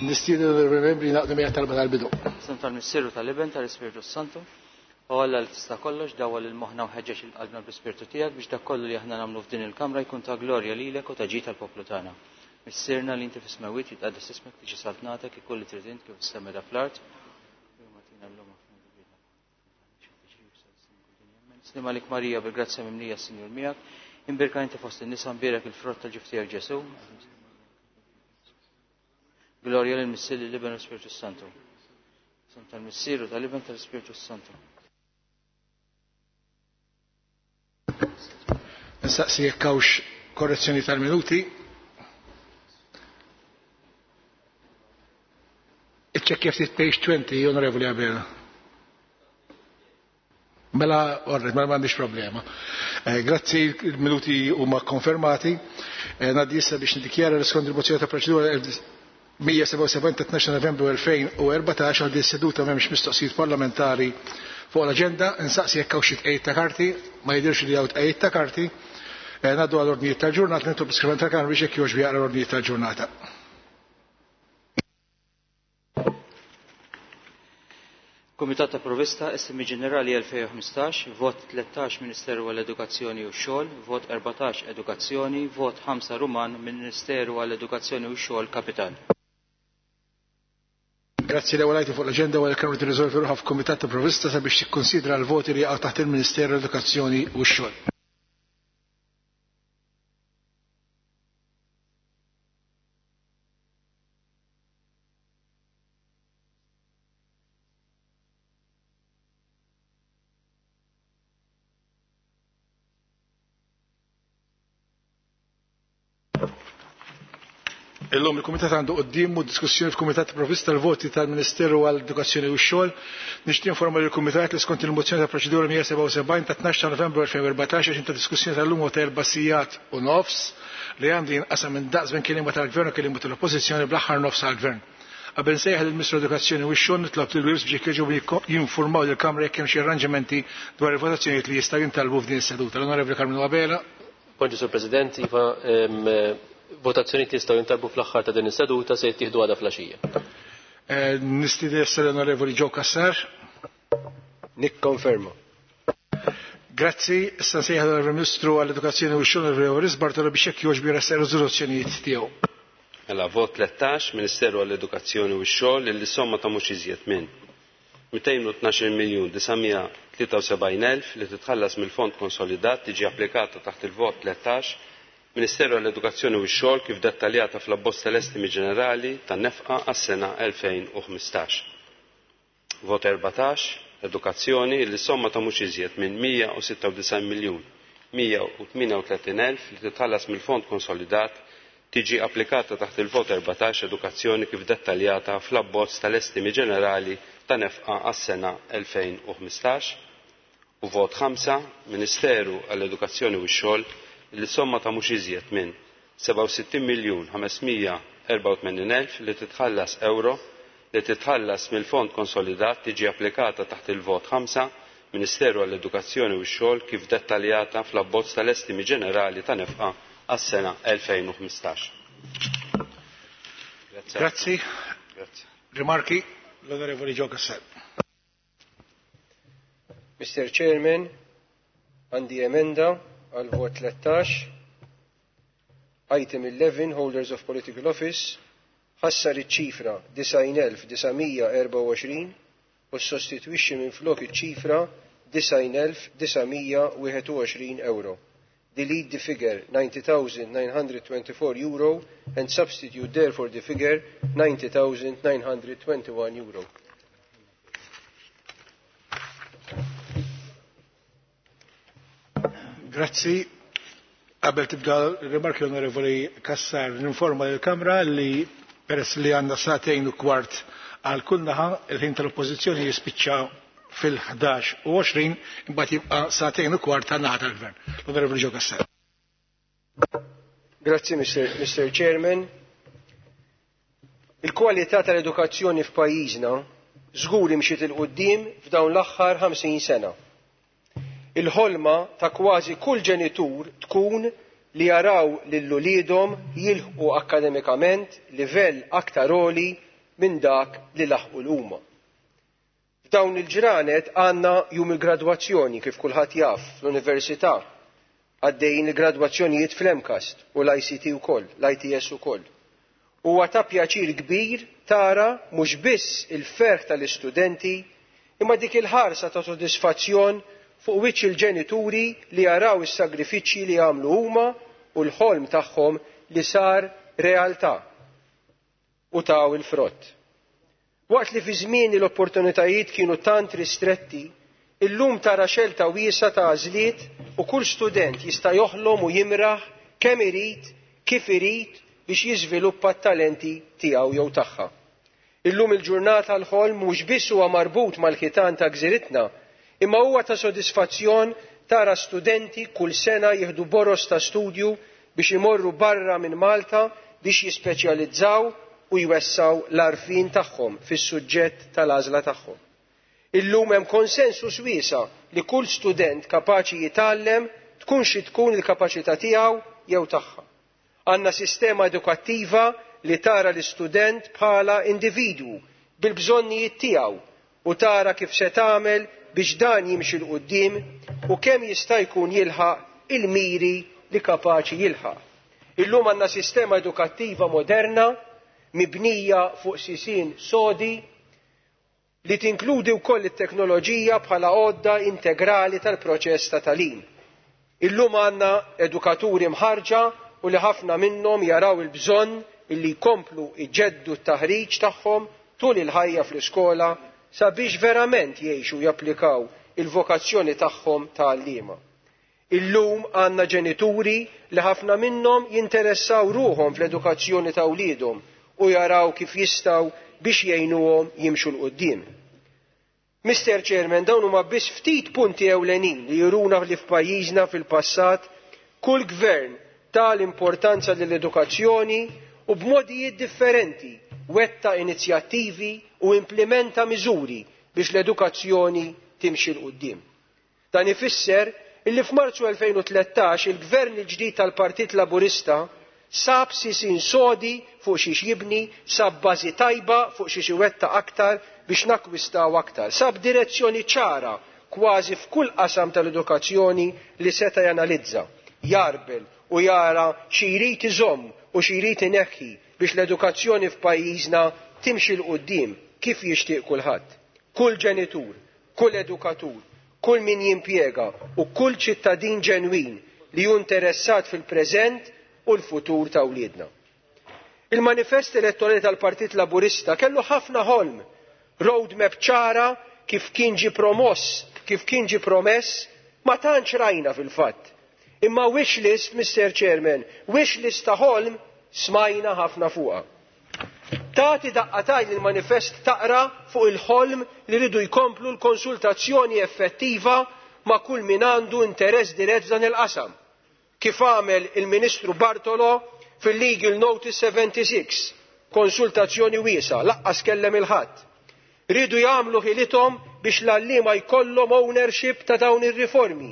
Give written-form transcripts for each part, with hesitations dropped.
Nistieden l-onorevoli membri jingħaqdu miegħi talba tal-bidu. Isem tal-Missier u tal-Iben tal-Ispirtu Santu. O Alla li tista' kollox, dawwal lil moħħna u ħeġġeġ il qalbna bl-Ispirtu tiegħek biex dak kollu li aħna nagħmlu f'din il-kamra jkun ta' glorja lilek u ta' ġid tal-poplu tagħna. Missierna li inti fis-smewwiet jitqaddes ismek tiġi saltnatek ikun li trid int kif is-sema da fl-art. Slim għalik Marija bil-grazzja mimlija s-Sinjur miegħek. Imbirka inti fost in-nisa mbierek il-frott tal-ġuf tiegħek Ġesu. Glorja lil Missier lill-Iben u l-Ispirtu Santu. Isem tal-Missier u tal-Iben tal-Ispirtu Santu. Nistaqsi jekk hawnx korrezzjoni tal-minuti. Iċċekkja ftit page 20, Onorevoli Abela. Mela, orret, mela m'għandix problema. Eh, grazzi, il-minuti huma konfermati. Eh, Ngħaddi issa biex nidikjara l skont il-mozzjoni ta' proċedura 177 ta' 12 Novembru 2014 għal din seduta m'hemmx mistoqsijiet parlamentari fuq l-aġenda. Insaqsi jekk hawn xi tqejjed ta' karti, ma jidhirx li hawn tqejjed ta' karti. Eh, ngħaddu għal ordnijiet tal-ġurnata, nitlob l-iskrivan tal-Kamra biex jekk jogħġbu jaqra l-ordnijiet tal-ġurnata. Kumitat ta' Provista, Estimi Ġenerali 2015, vot 13 Ministeru għall-Edukazzjoni u x-Xogħol, vot 14 Edukazzjoni, vot 5 Ruman Ministeru għall-Edukazzjoni u x-Xogħol Kapital. Grazzi l-ewwel item fuq l-aġenda wara l-Kamra tirriżolvi ruħha f'Kumitat ta' Provista sabiex tikkonsidra l-voti li jaqgħu taħt il-Ministeru għall-Edukazzjoni u x-Xogħol. Illum il-Kumitat għandu quddiemu diskussjoni f'Kumitat Provvista l-voti tal-Ministeru għall-Edukazzjoni u x-Xogħol. Nixtieq informa lill-Kumitat li skont il-mozzjoni ta' proċedura 177 ta' 12 ta' Novembru 2014 għax ta' diskussjoni tal-lum ta' erba' sigħat u nofs li għandu jinqasam minn daqs bejn kelliema tal-Gvern u kelliema tal-Oppożizzjoni bl-aħħar nofs għall-Gvern. Qabel nsejjaħ lill-Ministru Edukazzjoni u x-Xogħol nitlob lil Wills biex jekk jinformaw lill-Kamra jekk hemm xi arranġamenti dwar il-votazzjonijiet li jistgħu jintalbu f'din is-seduta. L-Onorevoli Carmelo Abela. Bonġu Sur President, iva votazzjonijiet li jistgħu jintalbu fl-aħħar ta' din is-seduta se jittieħdu għada flaxija. Eh, Nistieden l-Onorevoli Joe Cassar. Nikkonferma. Grazzi, issa nsejjaħ l-Ministru għall-Edukazzjoni u x-Xogħol Onorevoli Bartolo biex jekk jogħġbu jressaq riżoluzzjonijiet tiegħu. Mela vot 13 Ministeru għall-Edukazzjoni u x-Xogħol li somma ta' mhux iżjed minn 212 miljun 973 elf li titħallas mill-Fond Konsolidat tiġi applikata taħt il-vot 13 Ministeru għall-Edukazzjoni u x-Xogħol kif dettaljata fl-abbozz tal-estimi ġenerali tan-nefqa għas-sena 2015. Vot 14 Edukazzjoni li somma ta' mhux iżjed minn 196 miljun 138 elf li titħallas mill-Fond Konsolidat tiġi applikata taħt il-vot 14 edukazzjoni kif dettaljata fl-abbozz tal-estimi ġenerali ta' nefqa għas-sena 2015 u vot 5 Ministeru għall-Edukazzjoni u x-Xogħol li somma ta' mhux iżjed minn 67 miljun 584 elf li titħallas euro li titħallas mill-Fond Konsolidat tiġi applikata taħt il-vot 5 Ministeru għall-Edukazzjoni u x-Xogħol kif dettaljata fl-abbozz tal-estimi ġenerali ta' nefqa għas-sena 2015. Grazzi. Grazzi. Rimarki l-Onorevoli Joe Cassar. Mr. Chairman, għandi emenda għal vot 13, item 11, holders of political office, ħassar iċ-ċifra 90,924 u sostitwixxi minn flok iċ-ċifra 90,921 euro. Delete the figure 90,924 euro and substitute therefore the figure 90,921 euro. Grazzi. Qabel tibda rimarki onorevoli Kassar, ninforma lill-Kamra li peress li għandna sagħtejn u kwart għal kull naħa il-ħin tal-Oppożizzjoni jispiċċa fil-11 u 20 imbagħad jibqa' sagħtejn u kwart tan naħa tal-Gvern. L-Onorevoli Joe Cassar. Grazzi, Mr. Mr. Chairman. Il-kwalità tal-edukazzjoni f'pajjiżna żgur imxiet il quddiem f'dawn l-aħħar 50 sena. Il-ħolma ta' kważi kull ġenitur tkun li jaraw lil uliedhom jilħqu akkademikament livell aktar għoli minn dak li laħqu l-huma. F'dawn il-ġranet għandna jum il-gradwazzjoni kif kulħadd jaf fl-università għaddejjin il-gradwazzjonijiet fl-MCAST u l-ICT ukoll, l-ITS ukoll. Huwa ta' pjaċir kbir tara mhux biss il-ferħ tal-istudenti imma dik il-ħarsa ta' sodisfazzjon fuq wiċċ il-ġenituri li jaraw is-sagrifiċċji li għamlu huma u l-ħolm tagħhom li sar realtà u taw il-frott. Waqt li fi żmieni l-opportunitajiet kienu tant ristretti, illum tara xelta wiesgħa ta' għażliet u kull student jista' joħlom u jimraħ kemm irid, kif irid biex jiżviluppa t-talenti tiegħu jew tagħha. Illum il-ġurnata l-ħolm mhux biss huwa marbut mal-ħitan ta' gżiritna, imma huwa ta' sodisfazzjon tara studenti kull sena jieħdu boros ta' studju biex imorru barra minn Malta biex jispeċjalizzaw u jwessaw l-għarfien tagħhom fis-suġġett tal-għażla tagħhom. Illum hemm konsensus wiesa' li kull student kapaċi jitgħallem tkun xi tkun il-kapaċità tiegħu jew tagħha. Għandna sistema edukattiva li tara l-istudent bħala individwu bil-bżonnijiet tiegħu u tara kif se tagħmel biex dan jimxi 'l quddiem u kemm jista' jkun jilħaq il-miri li kapaċi jilħaq. Illum għandna sistema edukattiva moderna mibnija fuq sisien sodi li tinkludi wkoll it-teknoloġija bħala għodda integrali tal-proċess ta' tagħlim. Illum għandna edukaturi mħarġa u li ħafna minnhom jaraw il-bżonn illi jkomplu iġeddu t-taħriġ tagħhom tul il-ħajja fl-iskola sabiex verament jgħixu japplikaw il-vokazzjoni tagħhom ta' għalliema. Illum għandna ġenituri li ħafna minnhom jinteressaw ruħhom fl-edukazzjoni ta' wliedhom u jaraw kif jistgħu biex jgħinuhom jimxu 'l quddiem. Mr. Chairman, dawn huma biss ftit punti ewlenin li juruna li f'pajjiżna fil-passat kull gvern ta l-importanza lill-edukazzjoni u b'modijiet differenti wetta inizjattivi u implementa miżuri biex l-edukazzjoni timxi 'l quddiem. Dan ifisser illi f'Marzu 2013 il-gvern il-ġdid tal-Partit Laburista sab sisin sodi fuq xiex jibni, sab bażi tajba fuq xiex iwetta aktar biex nakwistaw aktar, sab direzzjoni ċara kważi f'kull qasam tal-edukazzjoni li seta' janalizza, jarbel u jara xi jrid iżomm u xi jrid ineħħi biex l-edukazzjoni f'pajjiżna timxi 'l quddiem kif jixtieq kulħadd. Kull ġenitur, kull edukatur, kull min jimpjega u kull ċittadin ġenwin li hu interessat fil-preżent u l-futur ta' wliedna. Il-manifest elettorali tal-Partit Laburista kellu ħafna ħolm, roadmap ċara kif kien ġie promoss, kif kien ġie promess, ma tantx rajna fil-fatt. Imma wish list, Mr. Chairman, wish list ta' ħolm smajna ħafna fuqha. Tagħti daqqa t'għajn il-manifest taqra fuq il-ħolm li rridu jkomplu l-konsultazzjoni effettiva ma' kull min għandu interess dirett f'dan il-qasam. Kif għamel il-Ministru Bartolo fil-Legal Notice 76, konsultazzjoni wiesgħa, laqqas kellem il-ħadd. Ridu jagħmlu ħilithom biex l-għalliema jkollhom ownership ta' dawn ir-riformi.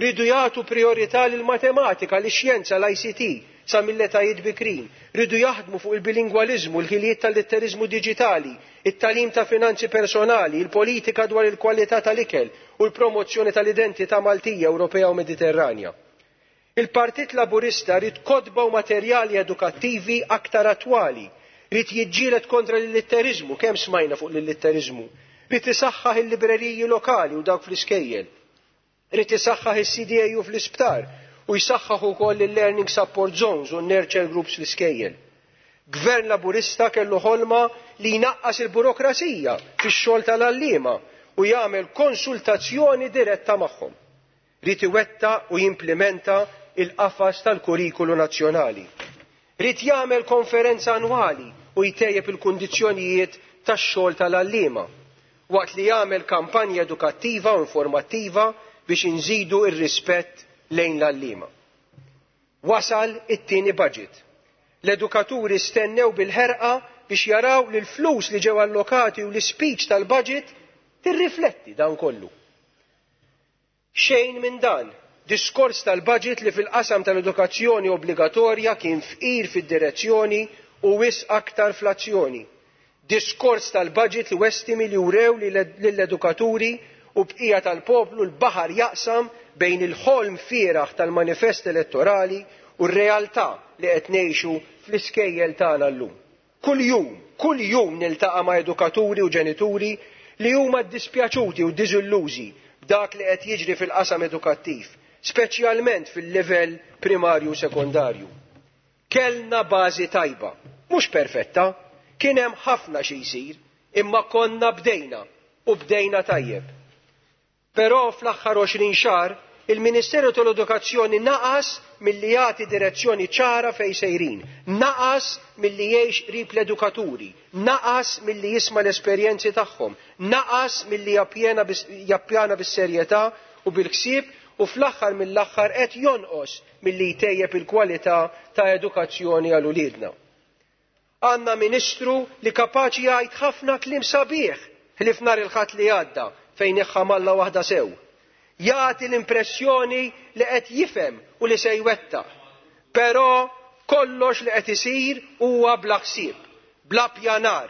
Ridu jagħtu priorità lill-matematika, lix-xjenza, l-ICT sa mill-etajiet bikrin. Ridu jaħdmu fuq il-bilingwaliżmu, l-ħiliet tal-litteriżmu diġitali, it-tagħlim ta' finanzi personali, il-politika dwar il-kwalità tal-ikel u l-promozzjoni tal-identità Maltija, Ewropea u Mediterranja. Il-Partit Laburista rid kotba u materjali edukattivi aktar attwali, rid jiġġieled kontra l-illitteriżmu, kemm smajna fuq l-illitteriżmu, rid isaħħaħ il-libreriji lokali u dawk fl-iskejjel, rid isaħħaħ is-CDAU fl-isptar u jsaħħaħ ukoll il-Learning Support Zones u n-Nurture Groups fl-iskejjel. Gvern Laburista kellu ħolma li jnaqqas il-burokrazija fix-xogħol tal-għalliema u jagħmel konsultazzjoni diretta magħhom. Rid iwettaq u jimplementa il-qafas tal-kurrikulu nazzjonali. Rid jagħmel konferenza annwali u jtejjeb il-kundizzjonijiet tax-xogħol tal-għalliema waqt li jagħmel kampanja edukattiva u informattiva biex inżidu ir-rispett lejn l-għalliema. Wasal it-tieni budget. L-edukaturi stennew bil-ħerqa biex jaraw li l-flus li ġew allokati u l-speech tal-budget tirrifletti dan kollu. Xejn minn dan, diskors tal-budget li fil-qasam tal-edukazzjoni obbligatorja kien fqir fid-direzzjoni u wisq aktar fl-azzjoni. Diskors tal-budget li westimi li urew lill-edukaturi u bqija tal-poplu l-baħar jaqsam bejn il-ħolm fieraħ tal-manifest elettorali u r-realtà li qed ngħixu fl-iskejjel tagħna llum. Kuljum, kuljum niltaqa' ma' edukaturi u ġenituri li huma ddispjaċuti u diżillużi b'dak li qed jiġri fil-qasam edukattiv, speċjalment fil-livell primarju u sekondarju. Kellna bażi tajba, mhux perfetta, kien hemm ħafna xi jsir, imma konna bdejna u bdejna tajjeb. Però fl-aħħar 20 xahar il-Ministeru tal-Edukazzjoni naqas milli jagħti direzzjoni ċara fejn sejrin, naqas milli jgħix qrib l-edukaturi, naqas milli jisma' l-esperjenzi tagħhom, naqas milli jappjana bis-serjetà u bil-ħsieb u fl-aħħar mill-aħħar qed jonqos milli jtejjeb il-kwalità ta' edukazzjoni għal uliedna. Għandna ministru li kapaċi jgħid ħafna kliem sabiħ ħlief nhar il-Ħadd li għadda fejn iħħamalla waħda sew. Jagħti l-impressjoni li qed jifhem u li se jwettaq. Però kollox li qed isir huwa bla ħsieb, bla pjanar,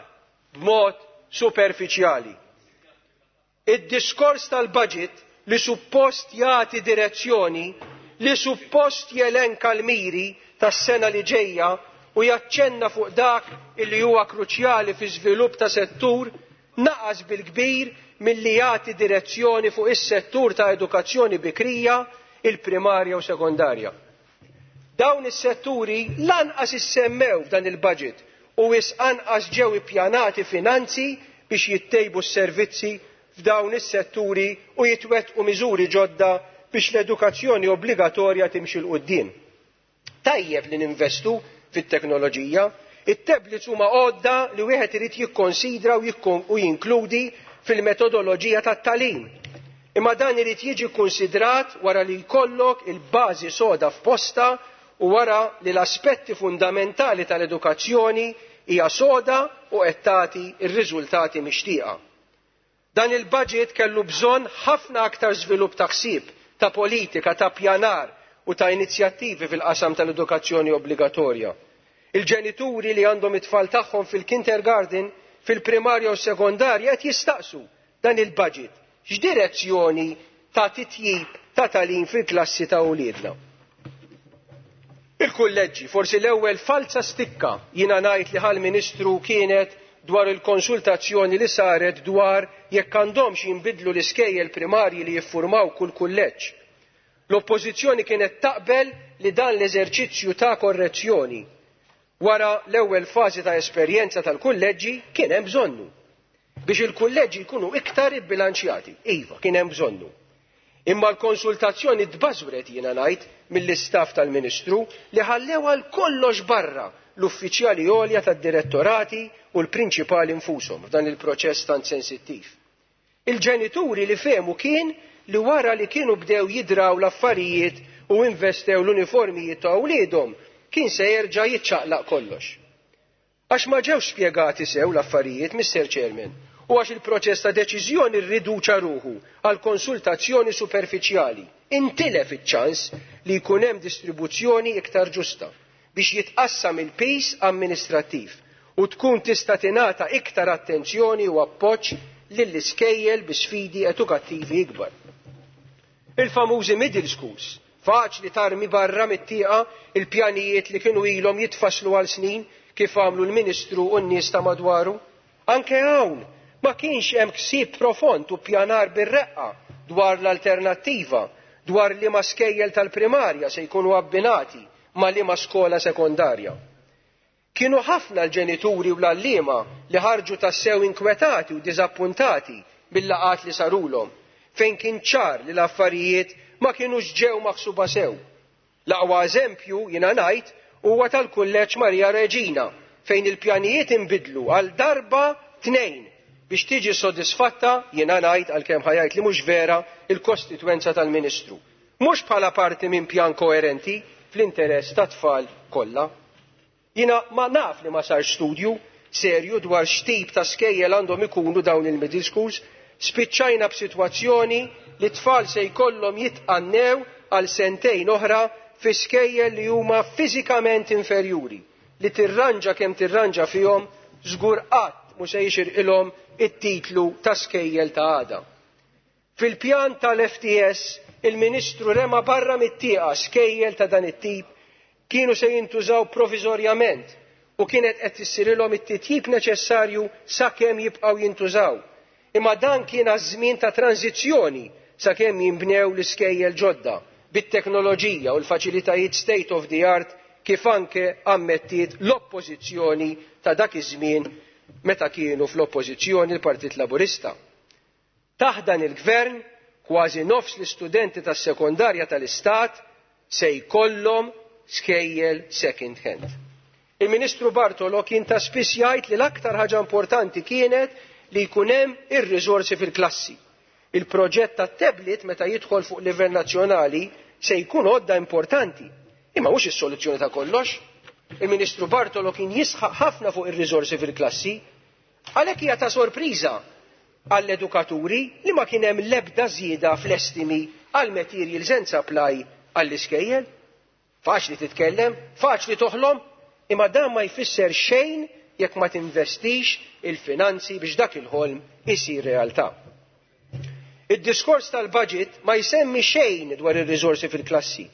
b'mod superfiċjali. Id-diskors tal-budget li suppost jagħti direzzjoni, li suppost jelenka l-miri tas-sena li ġejja u jaċċenna fuq dak illi huwa kruċjali fi żvilupp ta' settur, naqas bil-kbir milli jagħti direzzjoni fuq is-settur ta' edukazzjoni bikrija, il-primarja u sekondarja. Dawn is-setturi lanqas issemmew f'dan il-budget u wis anqas ġew ippjanati finanzi biex jittejbu s-servizzi f'dawn is-setturi u jitwettqu miżuri ġodda biex l-edukazzjoni obbligatorja timxi 'l quddiem. Tajjeb li ninvestu fit-teknoloġija, it-tablets huma għodda li wieħed irid jikkonsidra u jinkludi fil-metodoloġija tat-tagħlim. Imma dan irid jiġi kkunsidrat wara li jkollok il-bażi soda f'posta u wara li l-aspetti fundamentali tal-edukazzjoni hija soda u qed tagħti r-riżultati mixtieqa. Dan il-budget kellu bżonn ħafna aktar żvilupp ta' ħsieb, ta' politika, ta' pjanar u ta' inizjattivi fil-qasam tal-edukazzjoni obbligatorja. Il-ġenituri li għandhom it-tfal tagħhom fil-kindergarten, fil-primarja u sekondarja qed jistaqsu dan il-budget x'direzzjoni ta' titjib ta' tagħlim fil-klassi ta' uliedna. Il-kulleġġi, forsi l-ewwel falza stikka jiena ngħid li ħal-Ministru kienet dwar il-konsultazzjoni li saret dwar jekk għandhomx jinbidlu l-iskejjel primarji li jiffurmaw kull kulleġġ. L-oppożizzjoni kienet taqbel li dan l-eżerċizzju ta' korrezzjoni wara l-ewwel fażi ta' esperjenza tal-kulleġġi kien hemm bżonnu biex il-kulleġġi jkunu iktar ibbilanċjati. Iva, kien hemm bżonnu. Imma l-konsultazzjoni tbażwret jiena ngħid mill-istaff tal-Ministru li ħallew għal kollox barra l-uffiċjali għolja tad-direttorati u l-prinċipali nfushom f'dan il-proċess tant sensittiv. Il-ġenituri li fehmu kien li wara li kienu bdew jidraw l-affarijiet u investew l-uniformijiet ta' wliedhom kien se jerġa' jiċċaqlaq kollox. Għax ma ġewx spjegati sew l-affarijiet, Mr. Chairman, u għax il-proċess ta' deċiżjoni rriduċa ruħu għal konsultazzjoni superfiċjali. Intilef iċ-ċans li jkun hemm distribuzzjoni iktar ġusta biex jitqassam il-pis amministrattiv u tkun tista' tingħata iktar attenzjoni u appoġġ lill-iskejjel bi sfidi edukattivi ikbar. Il-famużi middle schools, faċli tarmi barra mit-tieqa il-pjanijiet li kienu ilhom jitfasslu għal snin kif għamlu l-Ministru u n-nies ta' madwaru. Anke hawn ma kienx hemm ksib profond u pjanar bir-reqqa dwar l-alternattiva, dwar liema skejjel tal-primarja se jkunu abbinati ma' liema skola sekondarja. Kienu ħafna l-ġenituri u l-għalliema li ħarġu tassew inkwetati u diżappuntati bil-laqat li sarulhom, fejn kien ċar li l-affarijiet ma kienux ġew maħsuba sew. L-aqwa eżempju, jiena ngħid, huwa tal-Kulleġġ Maria Reġina, fejn il-pjanijiet inbidlu għal darba tnejn biex tiġi sodisfatta, jiena ngħid għalkemm ħajajt li mhux vera, il-kostitwenza tal-Ministru. Mhux bħala parti minn pjan koerenti fl-interess tat-tfal kollha. Jiena ma naf li ma sarx studju serju dwar x'tip ta' skejjel għandhom ikunu dawn il-middle schools, spiċċajna b'sitwazzjoni li tfal se jkollhom jitqannew għal sentejn oħra fi skejjel li huma fiżikament inferjuri, li tirranġa kemm tirranġa fihom żgur qatt mhu se jixirqilhom it-titlu ta' skejjel ta' għada. Fil-pjan tal-FTS, il-Ministru rema barra mit-tieqa skejjel ta' dan it-tip kienu se jintużaw proviżorjament u kienet qed issirilhom it-titjib neċessarju sakemm jibqgħu jintużaw. Imma dan kien għaż-żmien ta' tranzizzjoni sakemm jinbnew l-iskejjel ġodda bit-teknoloġija u l-faċilitajiet state of the art kif anke ammettiet l-oppożizzjoni ta' dak iż-żmien meta kienu fl-oppożizzjoni l-Partit Laburista. Taħt dan il-gvern kważi nofs l-istudenti tas-sekondarja tal-Istat se jkollhom skejjel second hand. Il-Ministru Bartolo kien ta' spiss jgħid li l-aktar ħaġa importanti kienet li jkun hemm ir-riżorsi fil-klassi. Il-proġett tat-tablet meta jidħol fuq livell nazzjonali se jkun għodda importanti, imma mhux is-soluzzjoni ta' kollox. Il-Ministru Bartolo kien jisħaq ħafna fuq ir-riżorsi fil-klassi, għalhekk hija ta' sorpriża għall-edukaturi li ma kien hemm l-ebda żieda fl-estimi għal materials and supply għall-iskejjel. Faċli titkellem, faċli toħlom, imma dan ma jfisser xejn jekk ma tinvestix il-finanzi biex dak il-ħolm isir realtà. Id-diskors tal-budget ma jsemmi xejn dwar ir-riżorsi fil-klassi.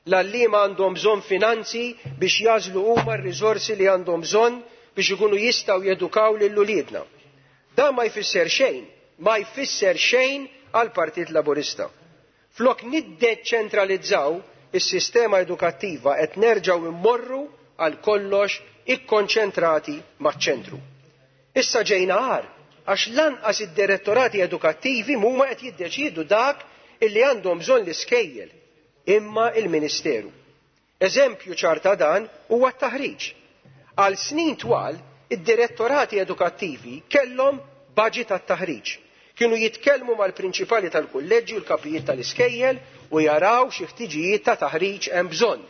L-għalliema għandhom bżonn finanzi biex jażlu huma r-riżorsi li għandhom bżonn biex ikunu jistgħu jedukaw lil uliedna. Dan ma jfisser xejn, ma jfisser xejn għall-Partit Laburista. Flok niddeċentralizzaw is-sistema edukattiva qed nerġgħu immorru għal kollox ikkonċentrati maċ-ċentru. Issa ġejna għar għax lanqas id-direttorati edukattivi mhuma qed jiddeċiedu dak illi għandhom bżonn l-iskejjel imma il-Ministeru. Eżempju ċar ta' dan huwa t-taħriġ. Għal snin twal id-direttorati edukattivi kellhom budget għat-taħriġ. Kienu jitkellmu mal-prinċipali tal-kulleġġi u l-kapijiet tal-iskejjel u jaraw xi ħtiġijiet ta' taħriġ hemm bżonn.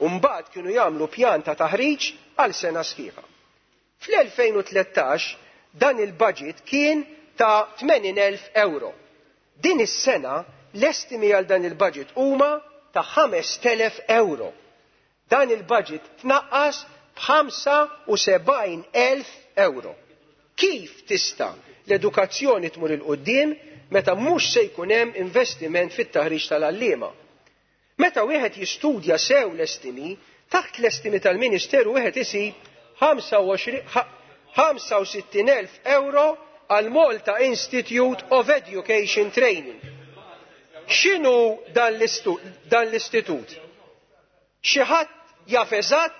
U mbagħad kienu jagħmlu pjan ta' taħriġ għal sena sħiħa. Fl-2013 dan il-budget kien ta' 80,000 euro. Din is-sena l-estimi għal dan il-budget huma ta' 5,000 euro. Dan il-budget tnaqqas b'75,000 euro. Kif tista' l-edukazzjoni tmur il-qudiem meta mhux se jkun hemm investiment fit-taħriġ tal-għalliema? Meta wieħed jistudja sew l-estimi, taħt l-estimi tal-Ministeru wieħed isib 65,000 euro għal Malta Institute of Education Training. X'inhu dan l-istitut? Xi ħadd jaf eżatt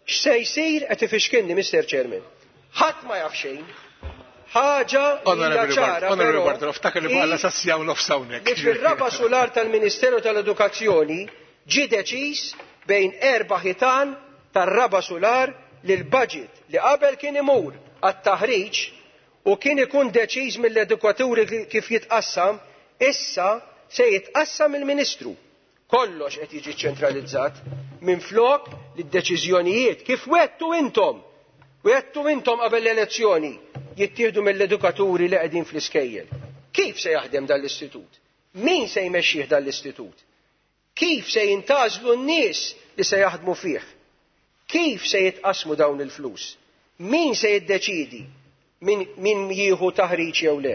x'se jsir qed ifixkilni, Mr. Chairman. Ħadd ma jaf xejn. Ħaġa hija ċara Onorevoli Bartolo, ftakar li bħala sassjaw nofs hawnhekk. Li fir-raba' sular tal-Ministeru tal-Edukazzjoni ġie deċiż bejn erba' ħitan tar-raba' sular li l-budget li qabel kien imur għat-taħriġ u kien ikun deċiż mill-edukaturi kif jitqassam, issa se jitqassam il-Ministru. Kollox qed jiġi ċentralizzat minflok li d-deċiżjonijiet kif wettu intom, wettu intom qabel l-elezzjoni jittieħdu mill-edukaturi li qegħdin fl-iskejjel. Kif se jaħdem dan l-istitut? Min se jmexxih dan l-istitut? Kif se jintażlu n-nies li se jaħdmu fih? Kif se jitqasmu dawn il-flus? Min se jiddeċidi min jieħu taħriġ jew le?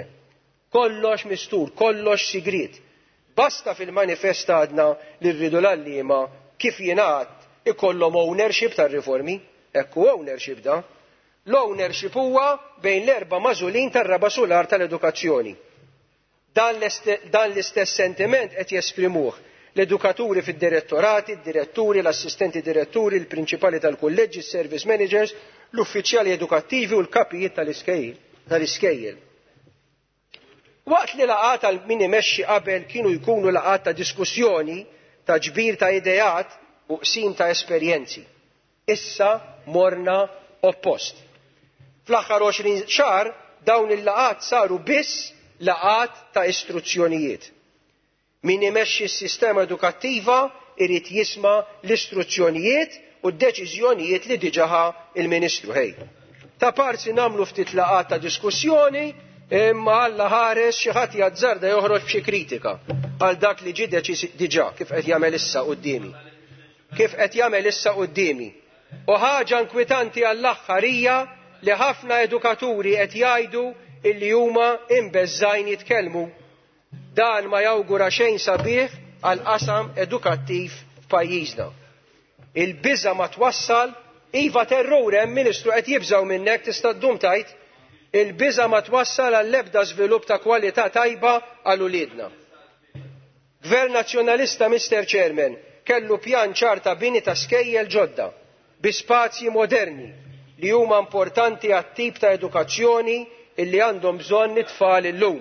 Kollox mistur, kollox sigriet. Basta fil-manifest għadna li rridu l-għalliema kif jingħad ikollhom ownership tar-riformi. Ekku ownership da. L-ownership huwa bejn l-erba' magħżulin tar-raba' sular tal-edukazzjoni. Dan l-istess sentiment qed jesprimuh l-edukaturi fid-direttorati, id-diretturi, l-assistenti diretturi, il-prinċipali tal-kulleġġi, il-service managers, l-uffiċjali edukattivi u l-kapijiet tal-iskejjel. Waqt li laqgħat għal min imexxi qabel kienu jkunu laqgħat ta' diskussjoni, ta' ġbir ta' ideat u qsim ta' esperjenzi. Issa morna oppost. Fl-aħħar 20 xahar dawn il-laqgħat saru biss laqgħat ta' istruzzjonijiet. Min imexxi s-sistema edukattiva irid jisma' l-istruzzjonijiet u d-deċiżjonijiet li diġà ħa il-Ministru ħej. Ta' parsi nagħmlu ftit laqgħat ta' diskussjoni imma Alla ħares xi ħadd jazzarda joħroġ b'xi kritika għal dak li ġie deċiż diġà kif qed jagħmel issa quddiemi. Kif qed jagħmel issa quddiemi. U ħaġa inkwitanti għall-aħħar hija li ħafna edukaturi qed jgħidu illi huma imbeżżgħin jitkellmu. Dan ma jawgura xejn sabiħ għal qasam edukattiv f'pajjiżna. Il-biża ma twassal, iva terrur hemm Ministru qed jibżgħu minnek tista' ddum tgħid, il-biża ma twassal għall-ebda żvilupp ta' kwalità tajba għal uliedna. Gvern Nazzjonalista, Mr. Chairman, kellu pjan ċar ta' bini ta' skejjel ġodda bi spazji moderni li huma importanti għat-tip ta' edukazzjoni illi għandhom bżonn it-tfal illum.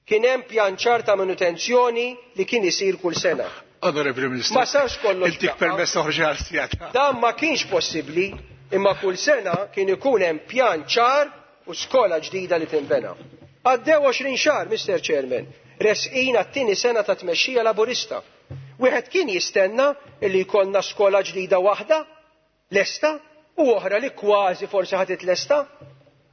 Kien hemm pjan ċar ta' manutenzjoni li kien isir kull sena. Onorevoli Ministru. Ma sarx kollox. Intik permess toħroġ għal sigħat. Dan ma kienx possibbli, imma kull sena kien ikun hemm pjan ċar u skola ġdida li tinbena. Għaddew 20 xahar, Mr. Chairman, resqin għat-tieni sena ta' tmexxija Laburista. Wieħed kien jistenna illi jkollna skola ġdida waħda, lesta, u oħra li kważi forsi ħa titlesta.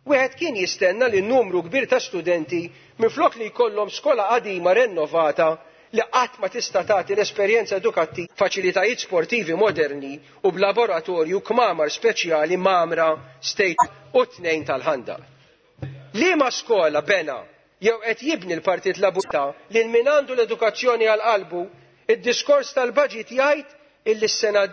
Wieħed kien jistenna li numru kbir ta' studenti minflok li jkollhom skola qadima rennovata li qatt ma tista' tagħti l-esperjenza edukattiva, faċilitajiet sportivi moderni u b'laboratorju kmamar speċjali mamra state u tnejn tal-ħandaq. Liema skola bena jew qed jibni l-Partit Laburista lil min għandu l-edukazzjoni għal qalbu, id-diskors tal-budget jgħid illi s-sena